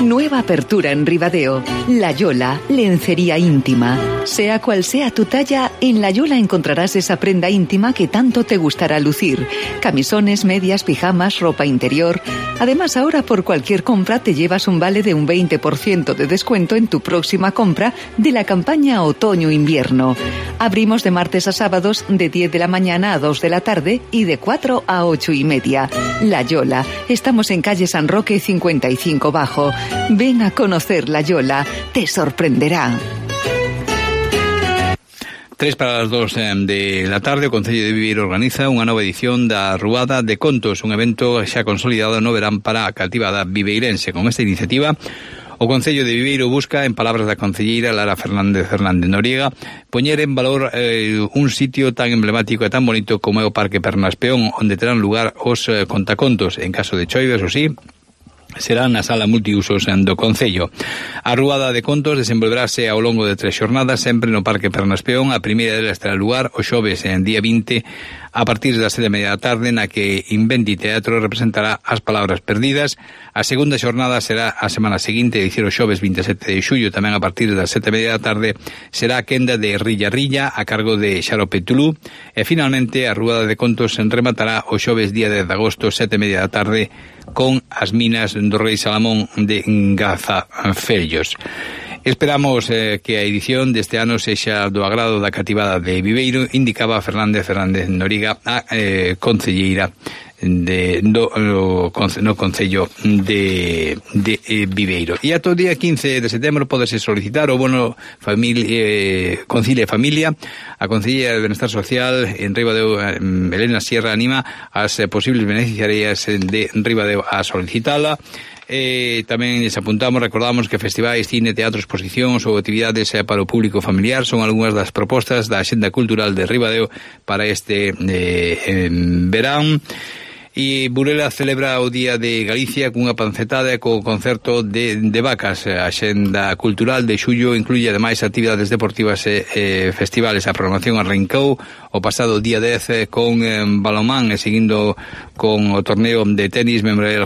H: Nueva apertura en Ribadeo. La Yola, lencería íntima. Sea cual sea tu talla, en La Yola encontrarás esa prenda íntima que tanto te gustará lucir. Camisones, medias, pijamas, ropa interior. Además, ahora por cualquier compra te llevas un vale de un 20% de descuento en tu próxima compra de la campaña Otoño-Invierno. Abrimos de martes a sábados de 10 de la mañana a 2 de la tarde y de 4 a 8:30. La Yola. Estamos en calle San Roque 55 Bajo. Ven a conocer La Yola, te sorprenderá.
D: 3 para las 2 de la tarde, o Concello de Viveiro organiza unha nova edición da Ruada de Contos, un evento xa consolidado no verán para a cativada viveirense. Con esta iniciativa, o Concello de Viveiro busca, en palabras da concelleira Lara Fernández Noriega, poñer en valor un sitio tan emblemático e tan bonito como é o Parque Pernas Peón, onde terán lugar os contacontos. En caso de choives, o sí, será na sala multiusos do Concello. A Ruada de Contos desenvolverase ao longo de 3 xornadas, sempre no Parque Pernas Peón. A primeira delas terá lugar o xoves en día 20 a partir das 7:30 da tarde, na que Inventi Teatro representará As Palabras Perdidas. A segunda xornada será a semana seguinte, é dicir, o xoves 27 de xullo, tamén a partir das 7:30 da tarde, será a quenda de Rilla Rilla a cargo de Xarope Tulú. E finalmente a Ruada de Contos rematará o xoves día 10 de agosto, 7:30 da tarde, con as minas do Rei Salamón de Gazafellos. Esperamos que a edición deste ano sexa do agrado da cativada de Viveiro, indicaba Fernández Noriega, a concelleira no Concello de Viveiro. E ata o día 15 de setembro podese solicitar o bono Concilia e Familia. A Concelleira de Benestar Social en Ribadeo, Elena Sierra, anima as posibles beneficiarias de Ribadeo a solicitala. Tamén les recordamos que festivais, cine, teatro, exposicións ou actividades para o público familiar son algunhas das propostas da Axenda Cultural de Ribadeo para este verán. E Burela celebra o Día de Galicia cunha pancetada e co concerto de vacas. A Axenda Cultural de xullo incluye ademais actividades deportivas e festivales. A programación arrancou o pasado día 10 con balonmán e seguindo con o torneo de tenis Memorial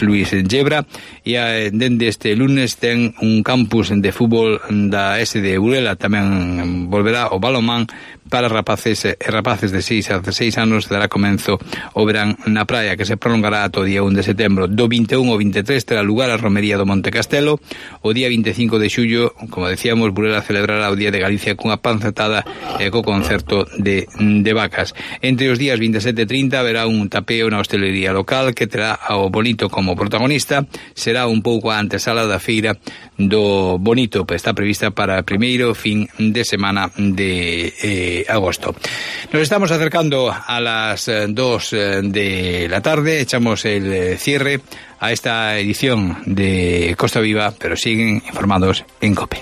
D: Luis Gebra, e dende este lunes ten un campus de fútbol da SD Burela. Tamén volverá o balonmán para rapaces e rapaces de 6 a 16 anos. Dará comenzo o verán na praia, que se prolongará ata o día 1 de setembro. Do 21 ao 23 terá lugar a romería do Monte Castelo. O día 25 de xullo, como decíamos, Burela celebrará o Día de Galicia cunha pancetada e co concerto de vacas. Entre os días 27 e 30 haberá un tapeo na hostelería local que terá ao Bonito como protagonista. Será un pouco a antesala da feira do Bonito, está prevista para o primeiro fin de semana de agosto. Nos estamos acercando a las 2 de la tarde, echamos el cierre a esta edición de Costa Viva, pero siguen informados en COPE.